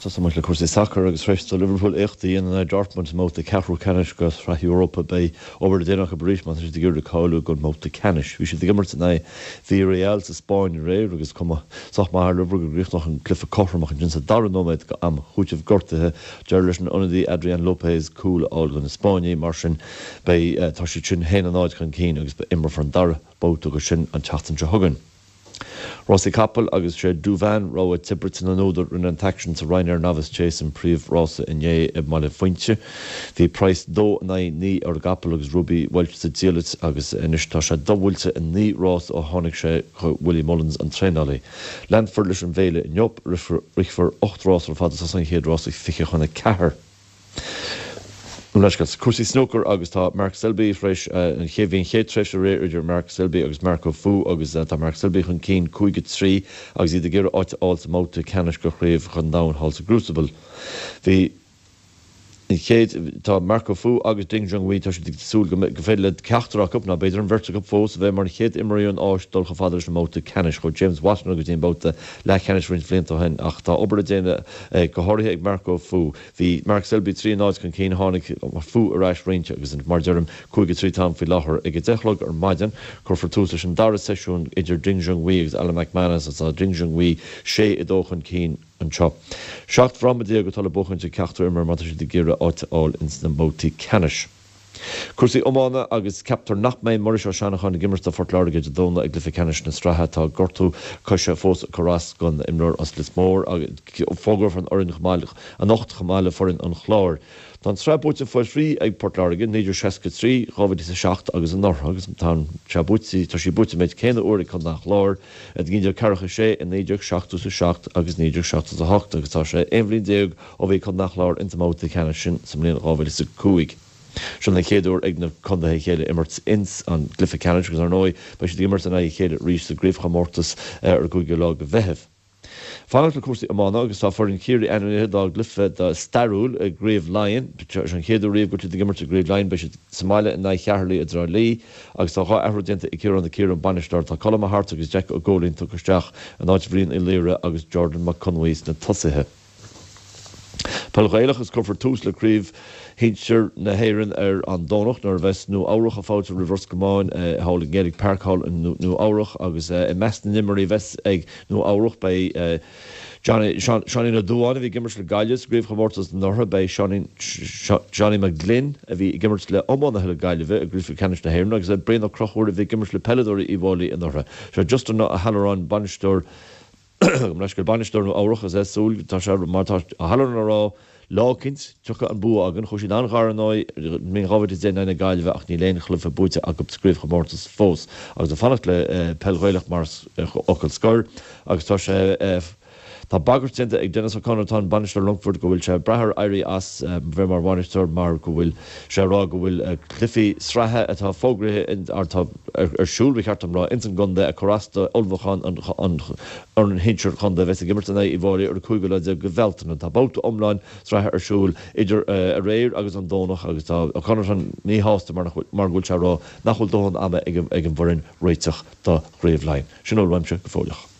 Tosóidh muid le cúrsaí sacair agus tar éis do Liverpool éacht a dhéanamh in aghaidh Dortmund i mbabhta ceathrú ceannais de Shraith Europa, beidh obair le déanamh acu arís má tá siad ag iarraidh cáiliú don mbabhta ceannais. Bhí siad ag imirt in aghaidh Villarreal sa Spáinn aréir agus cuma sách maith ar Liverpool go gcríochnódh an cluiche cothrom ach ansin sa dara nóiméad de am chúitimh gortaithe d'éirigh leis an ionadaí Adrian Lopez cúl a fháil do na Spáinnigh. Mar sin beidh tá siad sin 1-0 chun cinn agus imreofar an dara babhta de sin an tseachtain seo chugainn. Rásaí capaill agus sé Douvan rogha Tiobraid na n-údar rinne an t-aicsean sa Ryanair Novice Chase an príomh-rása inné i mBaile Phuinse. Bhí praghas 2 in aghaidh 9 ar an gcapall agus Ruby Walsh sa diallait agus anois tá sé do-bhuailte i 9 rás ó tháinig sé chuig Willie Mullins an traenálaí. Leanfar leis an bhféile inniu. Rithfear 8 rás ar fad agus tosaíonn an chéad rás ag 3:40. Leithscéal. Cúrsaí snúcair agus tá Mark Selby tar éis an chéad bhí an chéad tréimhse aréir idir Mark Selby agus Marco Fu agus tá Mark Selby chun cinn 5 3 agus iad ag iarraidh áit a fháil sa mbabhta ceannais de Chraobh an Domhain thall sa gCrucible. Bhí an chéad tá Marco Fu agus Ding Junhui tá siad ag súil go gur féidir le ceachtar acu nó b'fhéidir an bheirt acu fós a bheith mar an chéad imreoirí ón Áis dul chomh fada leis an mbabhta ceannais. Chuaigh James Wattana go dtí an babhta leathcheannais roinnt bhlianta ó shin ach tá obair le déanamh go háirithe ag Marco Fu. Bhí Mark Selby 3 0 chun cinn, tháinig Fu ar ais roinnt agus mar a deirim, 5 3 atá ann faoi láthair. Ag 10 a chlog ar maidin, cuirfear tús leis an dara seisiún idir Ding Junhui agus Alan McManus agus tá Ding Junhui 6 2 chun cinn anseo. 17 fhráma atá le buachaint ag ceachtar imreoir má tá siad ag iarraidh áit a fháil ins na mbabhtaí ceannais. Cúrsaí iomána agus ceaptar nach mbeidh Muiris Ó Seanacháin ag imirt do Phort Láirge Dé Domhnaigh i gcluiche ceannais na sraithe. Tá gortú coise fós ag cur as don imreoir as Lios Mór agus fógrófar an fhoireann chomh maith anocht chomh maith le foireann an Chláir. Tá an tsraith buaite faoi thrí ag Port Láirge, 1963, 2007 agus anuraidh agus tá sé buaite tá sí buaite an méid céanna uair ag Contae an Chláir, i 1946, i 1977 agus 1978 agus tá sé 11 bhliain ó bhí Contae an Chláir ins an mbabhta ceannais sin sa mbliain 2005. Seo an chéad uair ag na contaetha a chéile imirt ins an gcluiche ceannais agus ar ndóigh beidh siad ag imirt in aghaidh a chéile arís sa gcraobhchomórtas ar an gcúigiú lá de Mheitheamh. Fanacht le cúrsaí iomána agus tá foireann Chiarraí ainmnithe dá gcluiche stairiúil i gCraobh Laighean. Seo an chéad uair riamh go bhfuil siad ag imirt i gCraobh Laighean. Beidh siad sa mbaile in aghaidh Cheatharlaigh i dTrá Lí agus tá 2 athrú déanta ag Ciarán Ó Ciaráin, bainisteoir. Tá Colm Mac Airt agus Jack Ó Góilín tugtha isteach in áit Bhriain Uí Laoire agus Jordan Mac Conmhaí sna tosaithe. Peil Ghaelach agus cuirfear tús le Craobh Shinsir na hÉireann ar an Domhnach nuair a bheas Nua Eabhrach ag fáiltiú roimh Ros Comáin thall i nGaelic Park thall i Nua Eabhrach agus i measc na n-imreoirí a bheas ag Nua Eabhrach beidh Johnny, Seáinín Ó Dubháin a bhí ag imirt le Gaillimh sa gcraobhchomórtas anuraidh, beidh Seánie McGlynn a bhí ag imirt le iománaithe na Gaillimhe i gcraobh ceannais na hÉireann agus Brian Ó Conchúir a bhí ag imirt le peileadóirí Uíbh Fháilí anuraidh. Sé Justin Ó hAlluráin bainisteoir Gabh mo leithscéal, bainisteoir Nua Eabhrach is é ag súil, tá sé, mar atá Ó hAlluráin a rá, lá eicínt, tiocfaidh an bua againn. Chuaigh siad an-ghar ar ndóigh i mbliain 2010 in aghaidh na Gaillimhe ach níl aon chluiche buaite acu sa gcraobhchomórtas fós. Agus ag fanacht le peil Ghaelach mar fhocal scoir agus tá sé, tá bagairt déanta ag Denis O'Connor atá ina bhainisteoir Longfoirt go bhfuil sé ag brath ar éirí as bheith mar bhainisteoir mar go bhfuil sé ag rá go bhfuil cluichí sraithe atá fógraithe, atá ar siúl, ba cheart dom rá, ins an gcontae ag cur as do ullmhúchán an fhoireann shinsir chontae a bheas ag imirt in aghaidh Uíbh Fháilí ar an 15ú lá de Bhealtaine. Tá babhta iomlán sraithe ar siúl idir aréir agus an Domhnach agus tá O'Connorton míshásta mar go bhfuil sé ag rá nach bhfuil dóthain ama ag an bhfoireann réiteach do Chraobh Laighean. Sin a bhfuil uaimse go fóilleach.